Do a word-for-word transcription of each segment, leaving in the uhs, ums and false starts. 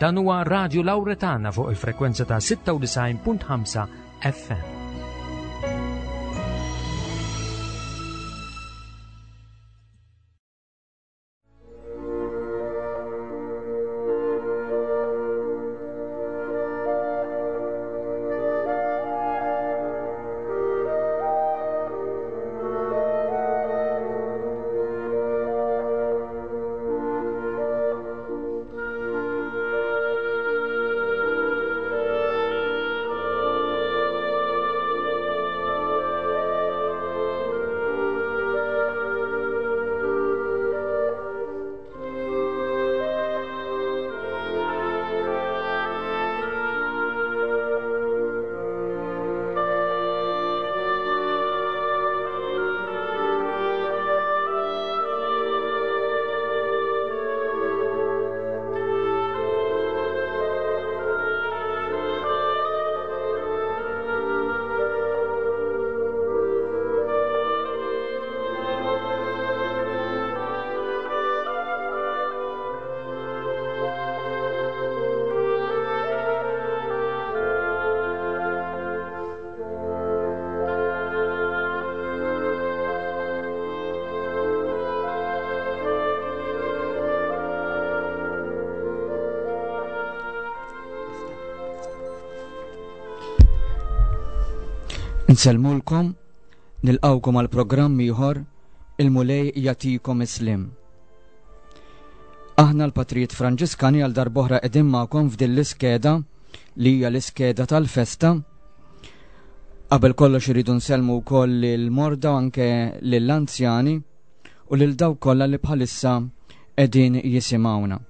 Dan huwa Radio Lauretana fuq il-frekwenza ta' sitta u disgħin punt ħamsa F M. Nsellmulkom, nilqgħukom għal programm ieħor, il-Mulej jagħtikom is-sliem. Aħna l-Patrijiet Franġiskani għal darb'oħra qegħdin magħkom f'din l-iskeda li hija l-iskeda tal-festa. Qabel kollox iridu nsellmu wkoll lil-morda u anke lill-anzjani u lil dawk kollha li bħalissa qegħdin jisimgħuna.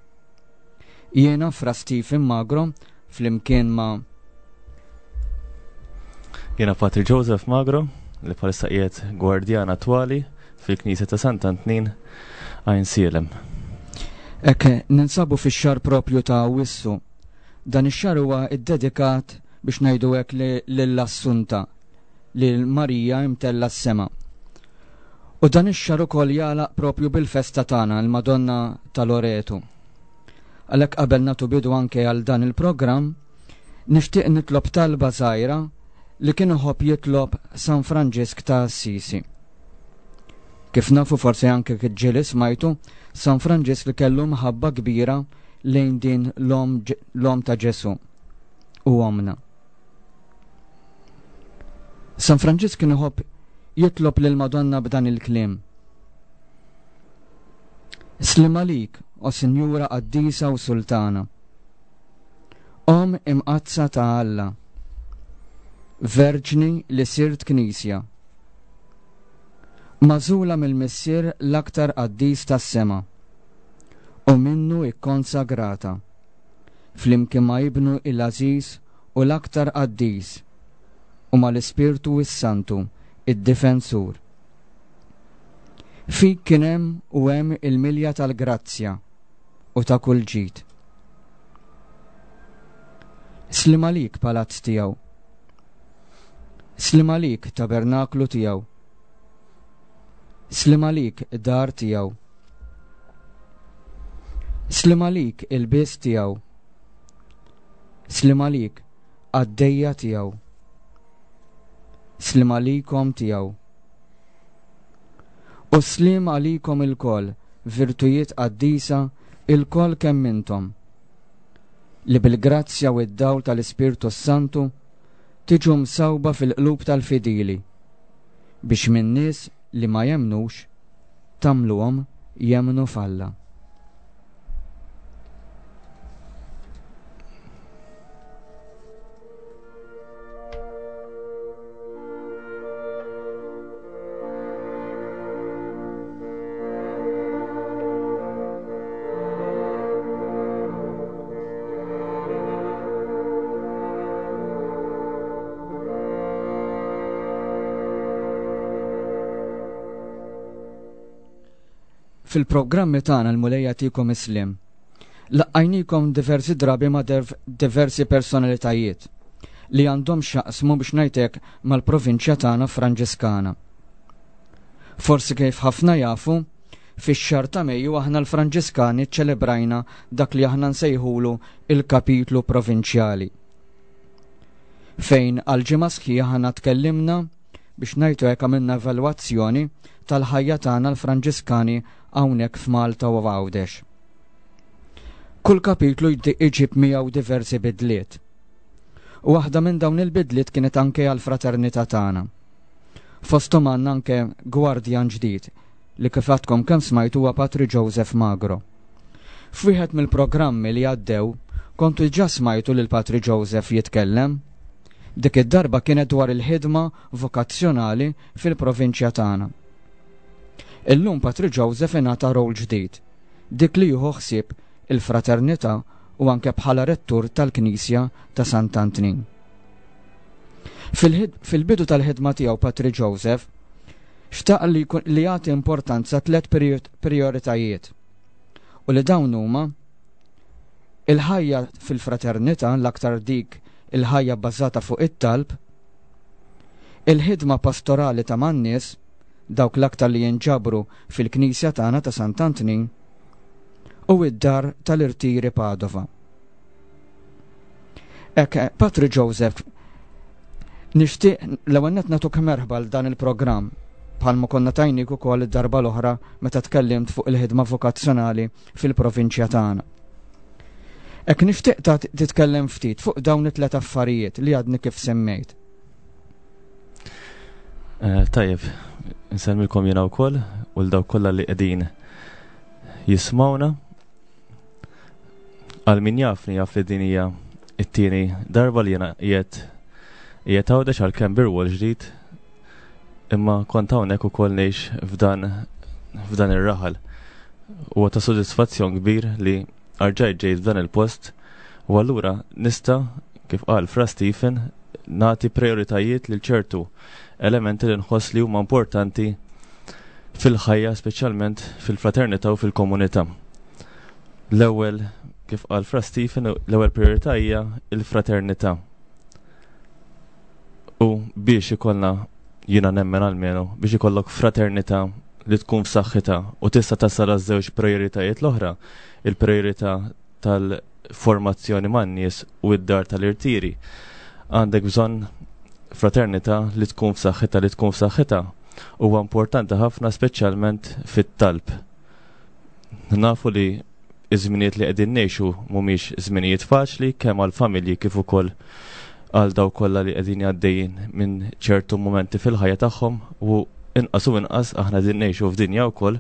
Jiena Fra Stephen Magro flimkien ma' Jiena Patri Joseph Magro, li bħalissa qiegħed gwardjan attwali fil-Knisja ta' Sant'Antnin, Għajnsielem. Ek, ninsabu fix-xahar propju ta' Awwissu. Dan ix-xahar huwa iddedikat biex ngħidu hekk lill-Assunta, lil Marija imtella s-sema. U dan ix-xahar ukoll jagħlaq propju bil-festa tagħna, il-Madonna ta' Loretu. Għalhekk qabel nagħtu bidu anke għal dan il-programm, nixtieq nitlob talba żgħira li kien iħobb jitlob San Franġisk ta' Assisi. Kif nafu, forsi anke ġieli smajtu, San Franġisk li kellu mħabba kbira lejn din l-om ta' Ġesu u omna. San Franġisk kien iħobb jitlob lil Madonna b'dan il-kliem. Sliem għalik, o Sinjura Qaddisa u Sultana, Om imqaddsa ta' Alla, Verġni li sirt Knisja, magħżula mill-Missier l-aktar qaddis tas-sema, u minnu ikkonsagrata, flimkien ma' ibnu il-Aziz u l-aktar qaddis, u mal-Ispirtu is-Santu, id-Difensur. Fik kien hemm u hemm il-milja tal-grazzja u ta' kull ġid. Sliem għalik, palazz tiegħu. Sliem għalik, tabernaklu tiegħu. Sliem għalik, dar tiegħu. Sliem għalik, ilbies tiegħu. Sliem għalik, qaddejja tiegħu. Sliem għalikom tiegħu. U sliem għalikom ilkoll, virtujiet qaddisa, ilkoll kemm intom, li bil-grazzja u d-dawl tal-Ispirtu Santu tiġu msawba fil-qlub tal-fidili, biex minn nies li ma jemnux tagħmluhom jemmnu f'Alla. Fil-programmi tagħna, l-Mulej jagħtikom is-sliem, Laqqajnikom diversi drabi ma' diversi personalitajiet li għandhom x'jaqsmu, biex ngħidlek, mal-provinċja tagħna Franġiskana. Forsi kif ħafna jafu, fix-xahar ta' Mejju aħna l-Franġiskani ċċelebrajna dak li aħna nsejħulu il-kapitlu provinċjali, fejn għal ġimgħa sħiħa aħna tkellimna biex ngħidu hekk għamilna evalwazzjoni tal-ħajja tagħna l-Franġiskani hawnhekk f'Malta u Għawdex. Kull kapitlu iġib miegħu diversi bidliet. U waħda minn dawn il-bidliet kienet anke għall-fraternità tagħna. Fosthom għandna anke gwardjan ġdid li kif għadkom kemm smajtu huwa Patri Joseph Magro. F'wieħed mill-programmi li għaddew kontu ġa smajtu lil Patri Joseph jitkellem. Dik id-darba kienet dwar il-ħidma vokazzjonali fil-provinċja tagħna. Illum Patri Joseph ingħata rol ġdid, dik li jieħu ħsieb il-fraternità u anke bħala rettur tal-Knisja ta' Sant'Antnin. Fil-bidu tal-ħidma tiegħu Patri Joseph xtaq li, li jagħti importanza tliet prioritajiet u li dawn huma il-ħajja fil-fraternità, l-aktar dik il-ħajja bbażata fuq it-talb, il-ħidma pastorali ta' man-nies, dawk l-aktar li jinġabru fil-Knisja tagħna ta' Sant'Antnin, u id-dar tal-irtiri Padova. Ek, Patri Joseph, nixtieq l-ewwel nett nagħtuk merħba għal dan il-programm bħalma konna tajnik ukoll id-darba l-oħra meta tkellimt fuq il-ħidma vokazzjonali fil-provinċja tagħna. Ek nixtieq ta' titkellem ftit fuq dawn it-tlet affarijiet li għadni kif semmejt. Uh, tajjeb, nsellmilkom jiena wkoll u l dawk kollha li qegħdin jismawna. Għal min jafni jaf li din hija it-tieni darba li jiena qiegħed qiegħed Għawdex għalkemm bir-rwol ġdid, imma kont hawnhekk ukoll ngħix f'dan f'dan ir-raħal. Huwa ta' sodisfazzjon kbir li rġajt ġejt f'dan il-post u allura nista', kif qal Fra Stephen, nagħti prioritajiet lil ċertu elementi li nħoss li huma importanti fil-ħajja, speċjalment fil-fraternità u fil-komunità. L-ewwel, kif qal Fra Stephen, l-ewwel priorità hija l-fraternità. U biex ikollna, jiena nemmen almenu, biex ikollok fraternità li tkun f'saħħitha u tista' tasal għaż-żewġ prioritajiet l-oħra, il-priorità tal-formazzjoni man-nies u id-dar tal-irtiri, għandek bżonn fraternità li tkun f'saħħitha. Li tkun f'saħħitha huwa importanti ħafna, speċjalment fit-talb. Nafu li iż-żminijiet li qegħdin ngħixu mhumiex żminijiet faċli kemm għall-familji kif ukoll għal daw kollha li qegħdin għaddejjin minn ċertu momenti fil-ħajja tagħhom, u inqas u inqas aħna qegħdin ngħixu f'dinja wkoll,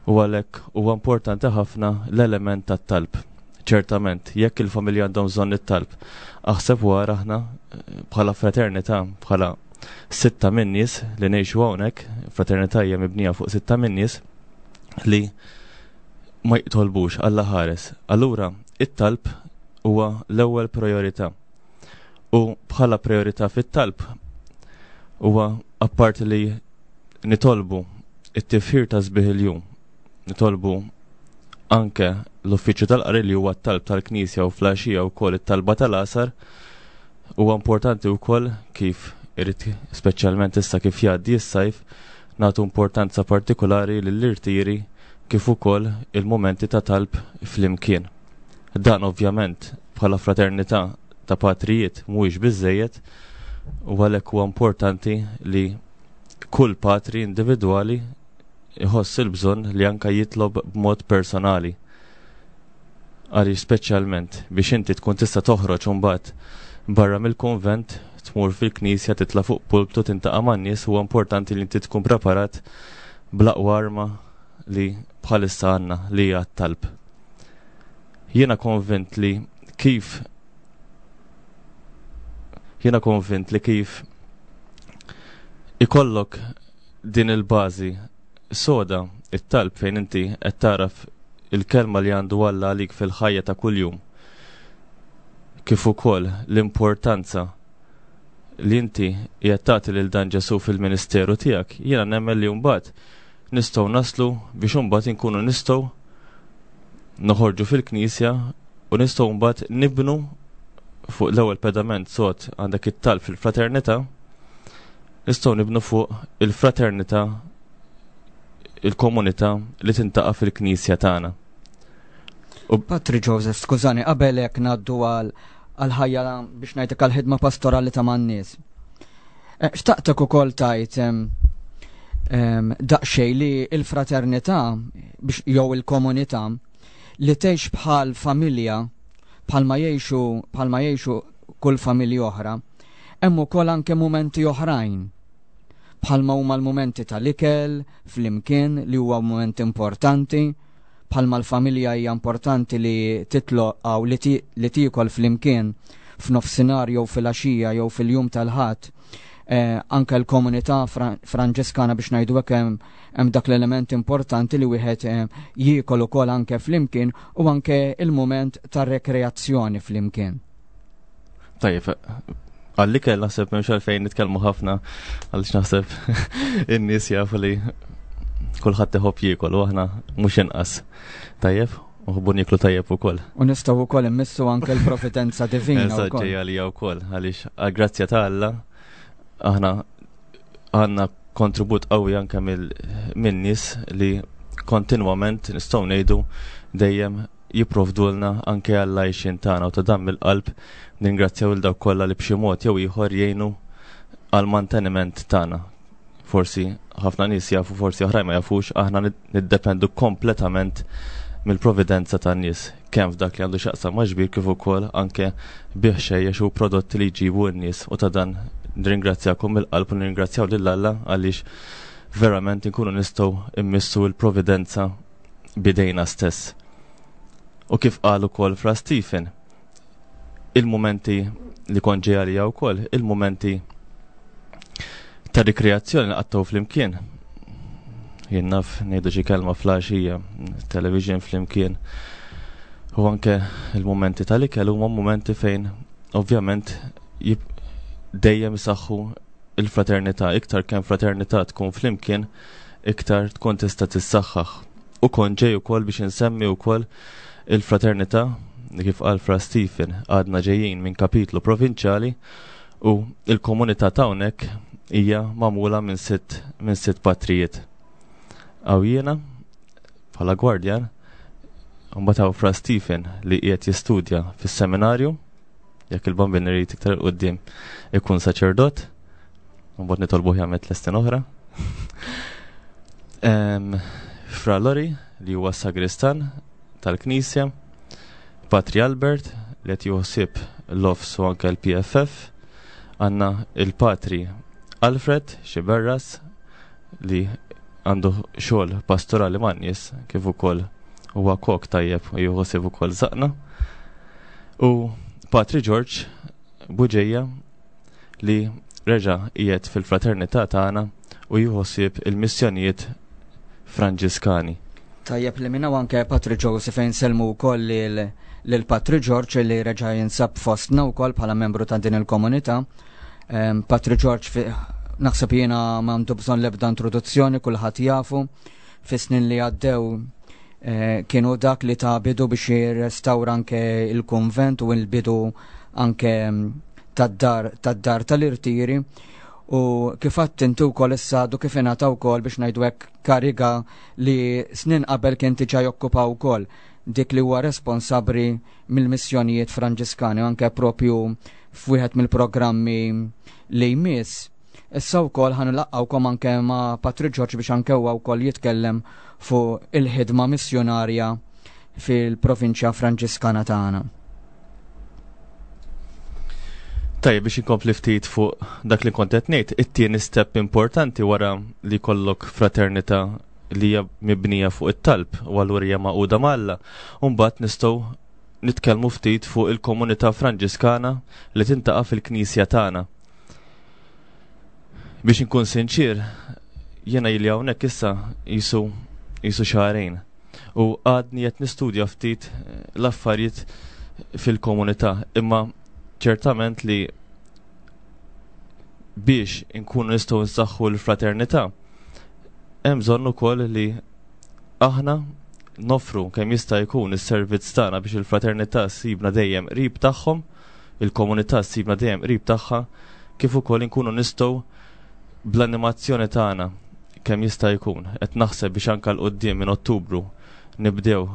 u għalhekk huwa importanti ħafna l-element tat-talb. Ċertament, jekk il-familja għandhom bżonn it-talb, aħseb wara aħna bħala fraternità, bħala sitta minn nies li ngħixu hawnhekk, fraternità hija mibnija fuq sitta minn nies li ma jitolbux Alla ħares. Allura, it-talb huwa l-ewwel priorità. U bħala priorità fit-talb huwa apparti li nitolbu it-tifħir ta' sbieħ il-jum, nitolbu anke l-uffiċċju tal-qari li huwa t-talb tal-Knisja u fl-għaxija wkoll it-talba tal-għasar. Huwa importanti wkoll kif irid, speċjalment issa kif jgħaddi s-sajf, nagħtu importanza partikolari lill-irtiri kif ukoll il-momenti ta' talb flimkien. Dan ovvjament bħala fraternità ta' patrijiet mhuwiex biżejjed, u għalhekk huwa importanti li kull patri individwali iħoss il-bżonn li anka jitlob b'mod personali. Għaliex speċjalment biex inti tkun tista' toħroġ imbagħad barra mill-konvent, tmur fil-knisja, titla' fuq pulptu, tintaqa' man-nies, huwa importanti li inti tkun preparat bl-aqwa arma li bħalissa għandna, li hija t-talb. Jiena konvint li kif jiena konvint li kif ikollok din il-bażi soda, it-talb fejn inti qed taraf il-kelma li għandu Alla għalik fil-ħajja ta' kuljum, kif ukoll l-importanza li inti qiegħed tagħti lil dan Ġesu fil-ministeru tiegħek, jiena nemmen li mbagħad nistgħu naslu biex imbagħad inkunu nistgħu noħorġu fil-knisja u nistgħu mbagħad nibnu fuq l-ewwel pedament sod għandek it-talb fil-fraternità, nistgħu nibnu fuq il-fraternità il-komunità li tintaqa' fil-knisja tagħna. U Patri Joseph, skużani, qabel hekk ngħaddu għal għal-ħajja biex ngħidlek għal-ħidma pastorali ta' man-nies. Eh, xtaqtek ukoll tajt daqsxejn li l-fraternità biex jew il-komunità li tgħix bħal familja bħalma jgħixu bħalma jgħixu kull familja oħra, hemm ukoll anke mumenti oħrajn bħalma huma l-mumenti tal-ikel flimkien li huwa mument importanti, bħalma l-familja hija importanti li titloq aw li tiekol flimkien f'nofsinhar jew fil-għaxija jew fil-jum tal-Ħadd. Eh, anke l-komunità Franġiskana biex ngħidu hekk hemm dak l-element importanti li wieħed eh, jiekol ukoll anke flimkien u anke il-mument tar-rekreazzjoni flimkien. Tajjeb, għall-ikel naħseb m'hemmx għalfejn nitkellmu ħafna għaliex naħseb in-nies jafu li kulħadd iħobb jiekol u aħna mhux inqas. Tajjeb, u nieklu tajjeb ukoll. U nistgħu wkoll immissu anke l-providenza divina. Eżatt, ġejja għalija wkoll għaliex għall-grazzja ta' Alla aħna għandna kontribut qawwi anke minn nies li kontinwament nistgħu ngħidu dejjem jipprovdulna anke għall-għajxien tagħna u ta' dan mill-qalb ningrazzjaw lil dawk kollha li b'xi mod jew ieħor jgħinu għal manteniment tagħna. Forsi ħafna nies jafu, forsi oħrajn ma jafux, aħna niddependu kompletament mill-providenza tan-nies, kemm f'dak li għandu x'jaqsam ma' ġbir kif ukoll anke bih xejjex u prodotti li jġibu n-nies u ta' dan nirringrazzjakom mill-qalb u nirringrazzjaw lil Alla għaliex verament inkunu nistgħu immissu l-providenza bidejna stess. U kif qal ukoll Fra Stephen, il-momenti li kont ġej għalija wkoll, il-momenti ta' rikreazzjoni li qattgħu flimkien. Jien naf ngħidu xi kelma filgħaxija, television flimkien. U anke il-momenti tal-ikel huma momenti fejn ovvjament dejjem isaħħu il-fraternità, iktar kemm fraternità tkun flimkien, iktar tkun tista' tissaħħaħ. U kont ġej ukoll biex insemmi wkoll il-fraternità li kif qal Fra Stephen għadna ġejjin minn kapitlu provinċjali u il-komunità t'hawnhekk hija magħmula minn sitt minn sitt patrijiet. Hawn jiena bħala gwardjan, mbagħad hawn Fra Stephen li qiegħed jistudja fis-seminarju, jekk il-Bambin irid iktar 'il quddiem ikun saċerdot, mbagħad nitolbuh jagħmel tliet snin oħra. Fra Lori li huwa sagristan tal-Knisja, Patri Albert li qed jieħu ħsieb l-O F S u anke l-P F F, għandna il-Patri Alfred Xiberras li għandu xogħol pastorali man-nies kif ukoll huwa kok tajjeb u jieħu ħsieb ukoll żaqna. U Patri George Buġeja li reġa' qiegħed fil-fraternità tagħna u jieħu ħsieb il-missjonijiet Franġiskani. Tajjeb li minna anke Patri Joseph insellmu wkoll lil Patri George li reġa' jinsab fostna wkoll bħala membru ta' din il-komunità. Patri George naħseb jiena m'għandu bżonn l-ebda introduzzjoni, kulħadd jafu. Fis-snin li għaddew eh, kienu dak li ta bidu biex jirrestawra anke il-konvent u l-bidu anke tad-dar tad-dar tal-irtiri u kif għedt inti wkoll issa għadu kif ingħata wkoll biex ngħidu hekk kariga li snin qabel kien diġà jokkupa wkoll, dik li huwa responsabbli mill-missjonijiet Franġiskani anke propju f'wieħed mill-programmi li jmiss. Issa wkoll ħa nlaqqgħukom anke ma' Patri George biex anke huwa wkoll jitkellem fuq il-ħidma missjonarja fil-provinċja Franġiskana tagħna. Tajjeb, biex inkompli ftit fuq dak li kont qed ngħid, it-tieni step importanti wara li jkollok fraternità li hija mibnija fuq it-talb u allura hija magħquda ma' Alla, u mbagħad nistgħu nitkellmu ftit fuq il-komunità Franġiskana li tintaqa' fil-Knisja tagħna. Biex inkun sinċir, jiena ili hawnhekk issa jisu jisu xahrejn u għadni qed nistudja ftit l-affarijiet fil-komunità, imma ċertament li biex inkunu nistgħu nsaħħu l-fraternità hemm bżonn ukoll li aħna nofru kemm jista' jkun is-servizz tagħna biex il-fraternità ssibna dejjem qrib tagħhom, il-komunità ssibna dejjem qrib tagħha, kif ukoll inkunu nistgħu bl-animazzjoni tagħna kemm jista' jkun qed naħseb biex anke 'l quddiem minn Ottubru nibdew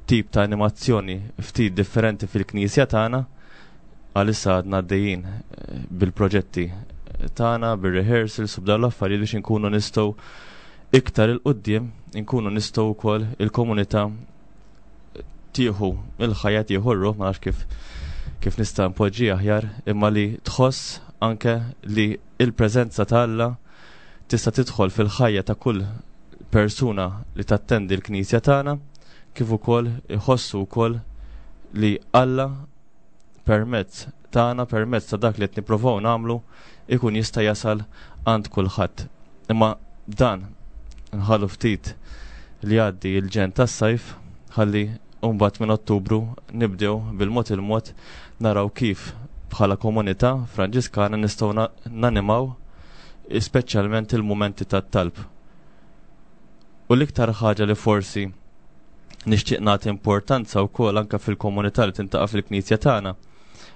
tip ta' animazzjoni ftit differenti fil-knisja tagħna. Għalissa għadna għaddejjin eh, bil-proġetti tagħna, bir-rehearsals u b'dawn l-affarijiet biex inkunu nistgħu iktar 'il quddiem inkunu nistgħu wkoll il-komunità tieħu il-ħajja, tieħu r-ruħ, ma nafx kif kif nista' npoġġi aħjar, imma li tħoss anke li il-preżenza ta' Alla tista' tidħol fil-ħajja ta' kull persuna li tattendi l-knisja tagħna, kif ukoll iħossu wkoll li Alla permezz tagħna, permezz ta' dak li qed nippruvaw nagħmlu, ikun jista' jasal għand kulħadd. Imma dan nħallu ftit li jgħaddi l-ġenn tas-sajf ħalli mbagħad minn Ottubru nibdew bil-mod il-mod naraw kif bħala komunità Franġiskana nistgħu nanimaw speċjalment il-mumenti tat-talb. U l-iktar ħaġa li forsi nixtieq nagħti importanza wkoll anke fil-komunità li tintaqa' fil-knisja tagħna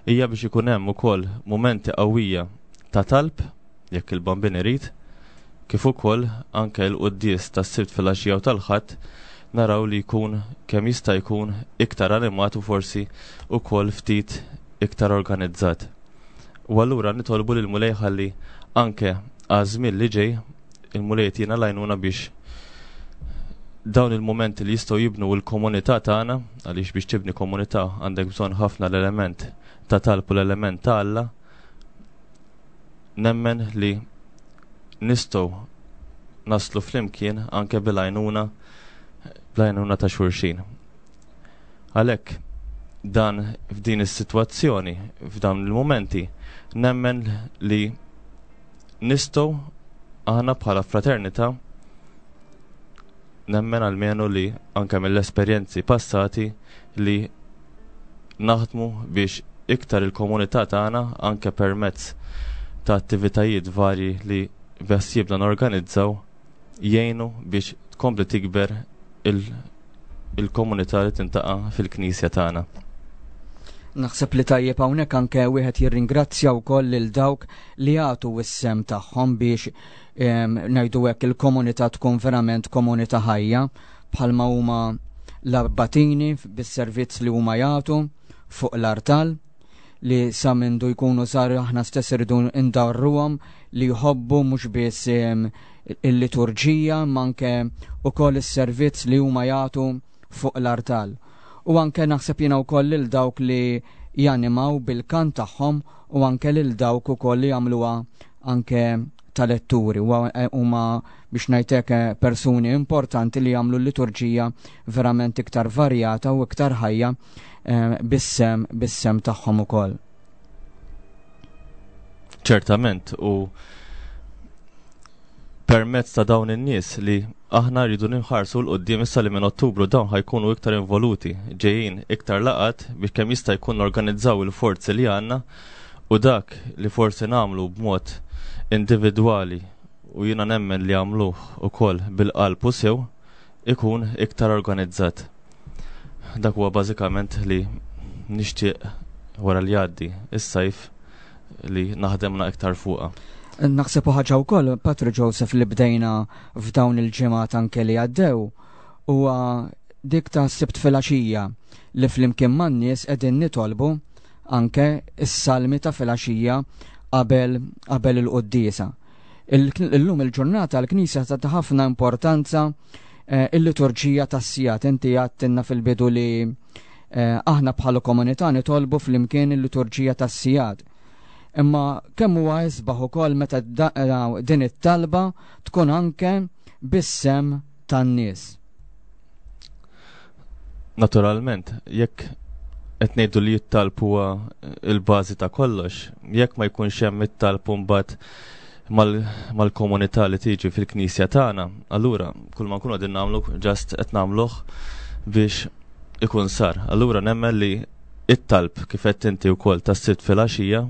hija biex ikun hemm ukoll mumenti qawwija ta' talb jekk il-Bambin irid, kif ukoll anke l-quddies tas-Sibt fil-għaxija u tal-Ħadd naraw li jkun kemm jista' jkun iktar animat u forsi ukoll ftit iktar organizzat. U allura nitolbu lil Mulej ħalli anke għaż-żmien li ġej il-Mulej jtina l-għajnuna biex dawn il-momenti li jistgħu jibnu l-komunità tagħna, għaliex biex tibni komunità għandek bżonn ħafna l-element ta' talb u l-element ta' Alla, nemmen li nistgħu naslu flimkien anke bil-għajnuna bl-għajnuna ta' xulxin. Għalhekk dan f'din is-sitwazzjoni, f'dawn il-momenti, nemmen li nistgħu aħna bħala fraternità, nemmen almenu li anke mill-esperjenzi passati li naħdmu biex iktar il-komunità tagħna anke permezz ta' attivitajiet varji li beħsiebna norganizzaw jgħinu biex tkompli tikber il-komunità li tintaqa' fil-knisja tagħna. Naħseb li tajjeb hawnhekk anke wieħed jirringrazzja wkoll lil dawk li jagħtu s-sehem tagħhom biex ngħidu hekk il-komunità tkun verament komunità ħajja, bħalma huma l-abbatini bis-servizz li huma jagħtu fuq l-artal, li sa mindu jkunu żgħar aħna stess irridu ndarruhom li jħobbu mhux biss il-liturġija ma anke ukoll is-servizz li huma jagħtu fuq l-artal. U anke naħseb jiena wkoll lil dawk li janimaw bil-kant tagħhom u anke lil dawk ukoll li jagħmluha anke tal-letturi. Huma biex ngħidlek persuni importanti li jagħmlu l-liturġija verament iktar varjata u iktar ħajja bis-sem, bis-sem tagħhom ukoll. Ċertament, u permezz ta' dawn in-nies li aħna rridu nħarsu 'l quddiem issa li minn Ottubru dawn ħajkunu iktar involuti, ġejjin iktar laqat biex kemm jista' jkun organizzaw il-forzi li għandna, u dak li forsi nagħmlu b'mod individwali u jiena nemmen li għamluh ukoll bil-qalb u sew ikun iktar organizzat. Dak huwa bażikament li nixtieq wara li jgħaddi is-sajf li naħdemna iktar fuqha. Naħseb ħaġa wkoll, Patri Joseph, li bdejna f'dawn il-ġimgħat anke li għaddew, huwa dik ta' Sibt filgħaxija li flimkien man-nies qegħdin nitolbu anke s-salmi ta' filgħaxija qabel qabel il-quddiesa. Illum il-ġurnata l-Knisja tagħti ħafna importanza il-liturġija tas-sigħat. Inti għedtilna fil-bidu li aħna bħala komunità nitolbu flimkien il-liturġija tas-sigħat. Imma kemm huwa isbaħ ukoll meta din it-talba tkun anke bis-sem tan-nies. Naturalment, jekk qed ngħidu li t-talb huwa l-bażi ta' kollox, jekk ma jkunx hemm it-talb mbagħad mal-komunità li tiġi fil-knisja tagħna, allura kull ma nkunu qegħdin nagħmlu ġast qed nagħmluh biex ikun sar. Allura nemmen li it-talb kif qed inti wkoll tas-Sibt filgħaxija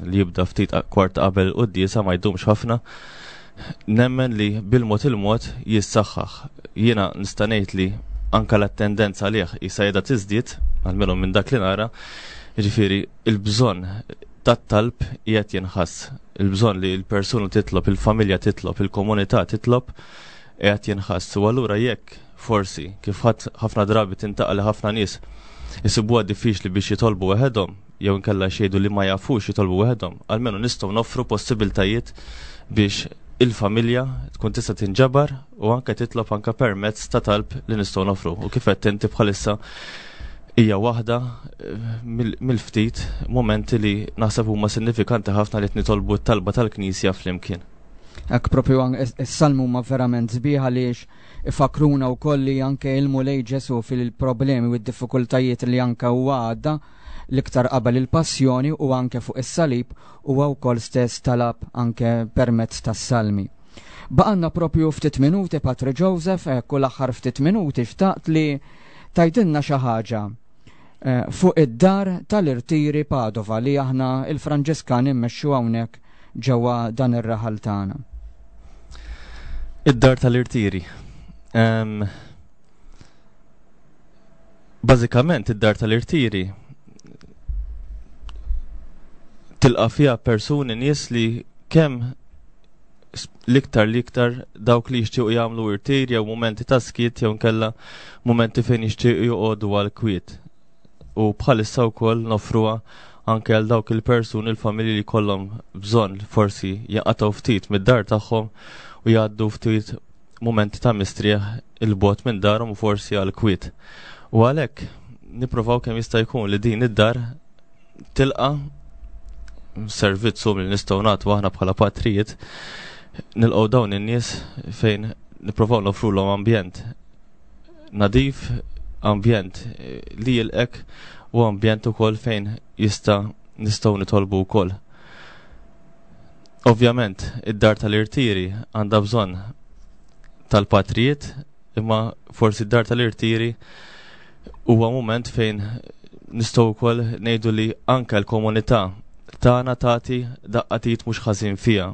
li jibda ftit kwart qabel il-quddiesa ma jdumx ħafna, nemmen li bil-mod il-mod jissaħħaħ. Jiena nista' ngħid li anka l-attendenza għalih issa qiegħda tiżdied, almenu minn dak li nara, jiġifieri il-bżonn tat-talb qiegħed jinħass. Il-bżonn li l-persuna titlob, il-familja titlob, il-komunità titlob qiegħed jinħass. U allura jekk forsi kif ħafna drabi tintaqa' li ħafna nies isibuha diffiċli biex jitolbu waħedhom jew inkella xejdu li ma jafux jitolbu waħedhom, almenu nistgħu noffru possibiltajiet biex il-familja tkun tista' tinġabar u anke titlob anke permezz ta' talb li nistgħu noffru. U kif qed inti bħalissa hija waħda mill-ftit momenti li naħseb huma sinifikanti ħafna li nitolbu t-talba tal-Knisja flimkien. Hekk propju is-salmu huma verament sbieħ għaliex ifakruna wkoll li anke il-Mulej Ġesu fil-problemi u d-diffikultajiet li anke huwa għadda l-iktar qabel il-passjoni u anke fuq is-salib huwa wkoll stess talab anke permezz tas-salmi. Baqanna propju ftit minuti, Patri Joseph, ekku l-aħħar ftit minuti xtaqt li tajdilna xi ħaġa fuq id-dar tal-irtiri Padova li aħna il-Franġiskani mmexxu hawnhekk ġewwa dan ir-raħal tagħna. Id-dar tal-irtiri. Um, bażikament id-dar tal-irtiri tilqa' fiha persuni nies li kemm l-iktar l-iktar dawk li jixtiequ jagħmlu irtir jew mumenti ta' skiet jew nkella mumenti fejn jixtiequ joqogħdu għal kwiet. U bħalissa wkoll noffruha anke għal dawk il-persuni, il-familji li kollhom bżonn forsi jaqatgħu ftit mid-dar tagħhom u jgħaddu ftit mumenti ta' mistrieħ il-bogħod minn darhom u forsi għal kwiet. U għalhekk nippruvaw kemm jista' jkun li din id-dar tilqa' servizzu li nistgħu nagħtu aħna bħala patrijiet, nilqgħu dawn in-nies fejn nippruvaw nofrulhom ambjent nadif, ambjent li jilqek u ambjent ukoll fejn jista' nistgħu nitolbu wkoll. Ovvjament, id-dar tal-irtiri għandha bżonn tal-patrijiet, imma forsi id-dar tal-irtiri huwa mument fejn nistgħu wkoll ngħidu li anke l-komunità tagħna tagħti daqqatit mhux ħażin fiha,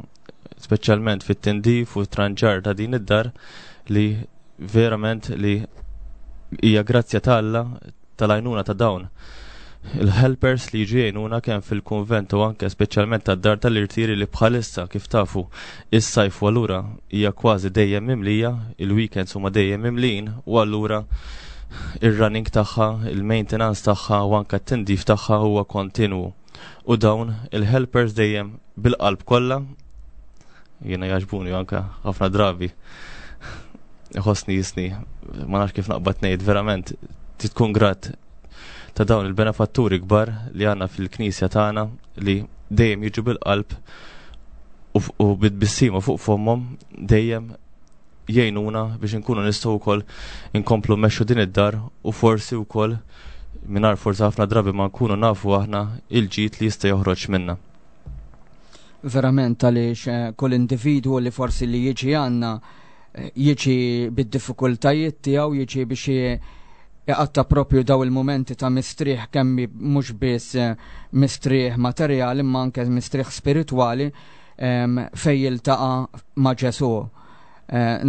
speċjalment fit-tindif u tranġar ta' din id-dar li verament li hija grazzja ta' Alla tal-għajnuna ta' dawn il-helpers li jiġu jgħinuna kemm fil-kunvent u anke speċjalment tad-dar tal-irtiri li bħalissa kif tafu is-sajf u allura hija kważi dejjem mimlija, il-weekends huma dejjem mimlijin u allura ir-running tagħha, il-maintenance tagħha u anke t-tindif tagħha huwa kontinwu. U dawn il-helpers dejjem bil-qalb kollha, jiena jogħġbuni anke ħafna drabi iħossni jisni, ma nafx kif naqbad ngħid, verament tkun grat ta' dawn il-benefatturi kbar li għandna fil-knisja tagħna li dejjem jiġu bil-qalb u bit-tbissima fuq fommhom dejjem jgħinuna biex inkunu nistgħu wkoll inkomplu mmexxu din id-dar u forsi wkoll mingħajr forsi ħafna drabi ma nkunu nafu aħna il-ġid li jista' joħroġ minna. Verament għaliex kull individwu li forsi li jiġi għandna jiġi bid-diffikultajiet tiegħu, jiġi biex jaqatta propju daw il-momenti ta' mistrieħ kemm mhux biss mistrieħ materjali imma anke mistrieħ spiritwali fejn jiltaqa' ma' Ġesù.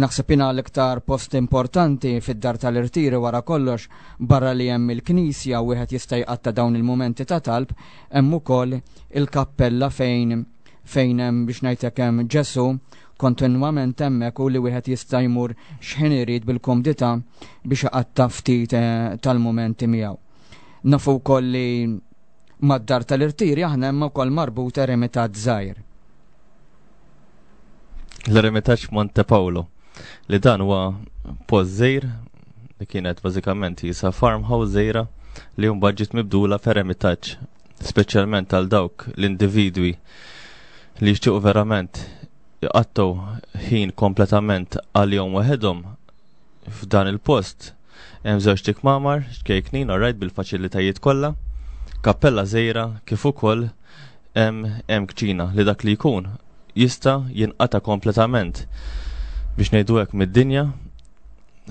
Naħseb jiena l-iktar post importanti fid-dar tal-irtiri wara kollox, barra li hemm il-knisja wieħed jista' jqatta' dawn il-momenti ta' talb, hemm ukoll il-kappella fejn fejn hemm biex ngħidlek hemm Ġesù kontinwament hemmhekk u li wieħed jista' jmur x'ħin irid bil-komdità biex iqatta' ftit tal-mumenti miegħu. Nafu wkoll li mad-dar tal-irtiri aħna hemm ukoll marbut eremitat żgħir. L-eremitaġġ Monte Paolo, li dan huwa post żgħir li kienet bażikament jisa farmhouse żgħira li mbagħad ġiet mibdula f'eremitaġġ, speċjalment għal dawk l-individwi li jixtiequ verament jqattgħu ħin kompletament għal-jom waħedhom f'dan il-post. Hemm żewġ tikmamar, ċkejknin, orajt bil-faċilitajiet kollha, kappella żgħira kif ukoll hemm hemm kċina li dak li jkun jista' jinqata' kompletament biex ngħidu hekk mid-dinja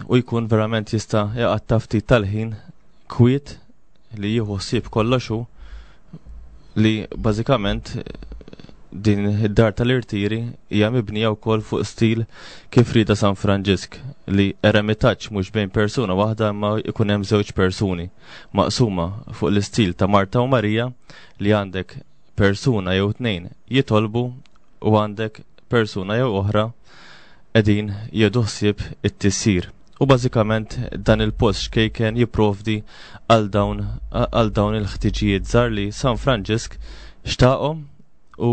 u jkun verament jista' jaqatta' ftit tal-ħin kwiet li jieħu ħsieb kollox hu, li bażikament din id-dar tal-irtiri hija mibnija wkoll fuq stil kif rieda San Franġisk, li eremitaġġ mhux bejn persuna waħda imma jkun hemm żewġ persuni maqsuma fuq l-istil ta' Marta u Marija, li għandek persuna jew tnejn jitolbu u għandek persuna jew oħra qegħdin jieħdu ħsieb it-tisjir. U bażikament dan il-post xkejken jipprovdi għal dawn għal dawn il-ħtiġijiet żgħar li San Franġisk xtaqhom u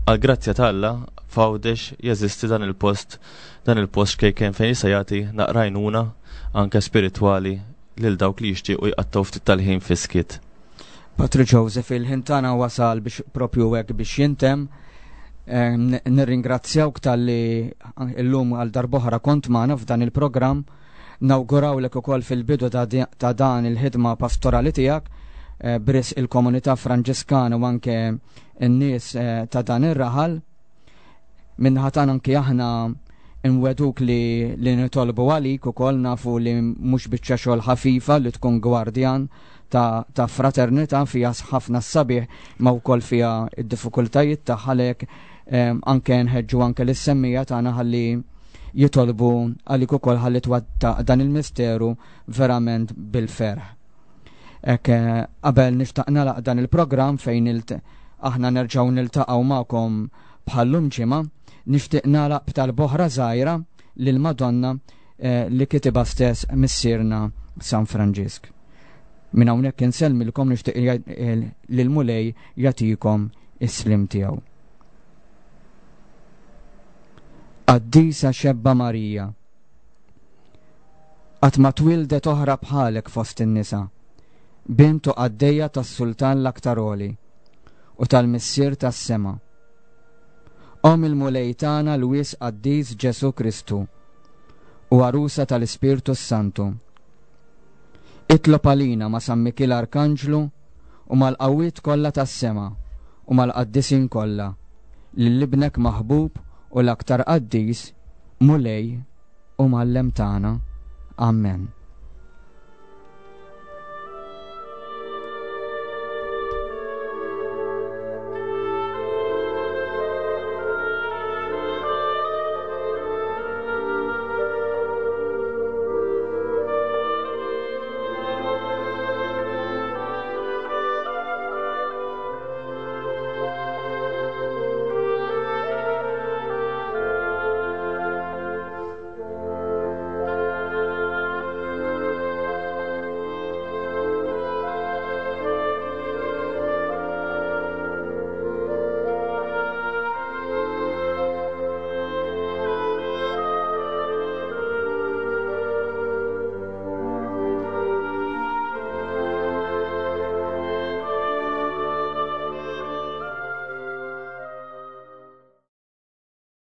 għal grazzja ta' Alla f'Għawdex jeżisti dan il-post dan il-post xkejken fejn jista' jagħti naqra għajnuna anke spiritwali lil dawk li jixtiequ jqattgħu ftit tal-ħin fis-skiet. Patri Joseph, il-ħin tagħna wasal biex propju hekk biex jintemm. Nirringrazzjawk talli illum għal darb'oħra kont magħna f'dan il-programm. Nawgurawlek ukoll fil-bidu ta' dan il-ħidma pastorali tiegħek eh, b'risq il-komunità Franġiskana u anke n-nies eh, ta' dan ir-raħal. Min-naħa tagħna anke aħna nwegħduk li, li nitolbu għalik ukoll, nafu li mhux biċċa xogħol ħafifa li tkun gwardjan ta', ta' fraternità, fiha ħafna sabiħ ma wkoll fiha id-diffikultajiet tagħha, għalhekk anke nħeġġu anke lis-semmiegħa tagħna ħalli jitolbu għalik ukoll ħalli twettaq dan il-misteru verament bil-ferħ. Ek qabel nixtaq nagħlaq dan il-programm fejn aħna nerġgħu niltaqgħu magħkom bħal-lum ġimgħa, nixtieq nagħlaq b'talba oħra żgħira lil Madonna eh, li kitibha stess missierna San Franġisk. Minn hawnhekk insellmilkom, nixtieq lil Mulej jagħtikom is-slim tiegħu. Qaddisa Xebba Marija, qatt ma twildet oħra bħalek fost in-nisa, bint u qaddejja tas-Sultan l-aktar għoli u tal-Missier tas-sema. Omm il-Mulej tagħna l-Wisq Qaddis Ġesu Kristu u għarusa tal-Ispirtu Santu. Itlob għalina ma' San Mikiel Arkanġlu u mal-qawwiet kollha tas-sema u mal-qaddisin kollha, lil ibnek maħbub u l-aktar qaddis, Mulej u Mgħallem tagħna. Amen.